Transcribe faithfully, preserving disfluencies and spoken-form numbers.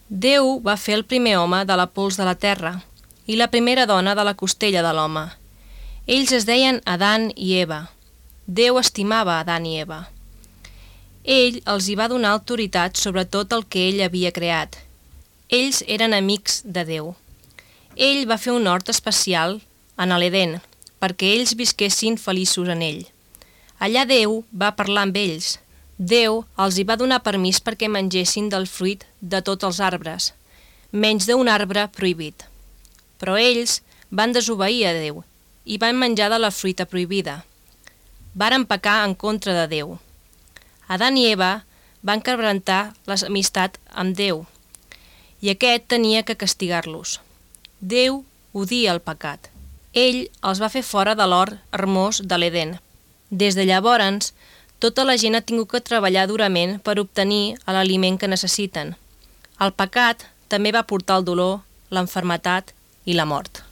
Déu va fer el primer home de la pols de la terra i la primera dona de la costella de l'home. Ells es deien Adán i Eva. Déu estimava Adán i Eva. Ell els hi va donar autoritat sobre tot el que ell havia creat. Ells eren amics de Déu. Ell va fer un hort especial en l'Edén perquè ells visquessin feliços en ell. Allà Déu va parlar amb ells. Déu els hi va donar permís perquè mengessin del fruit de tots els arbres, menys d'un arbre prohibit. Però ells van desobeir a Déu i van menjar de la fruita prohibida. Varen pecar en contra de Déu. Adán i Eva van quebrantar l'amistat amb Déu i aquest tenia que castigar-los. Déu odia el pecat. Ell els va fer fora de l'hort hermós de l'Edén. Des de llavors, tota la gent ha tingut que treballar durament per obtenir l'aliment que necessiten. El pecat també va portar el dolor, l'enfermetat i la mort.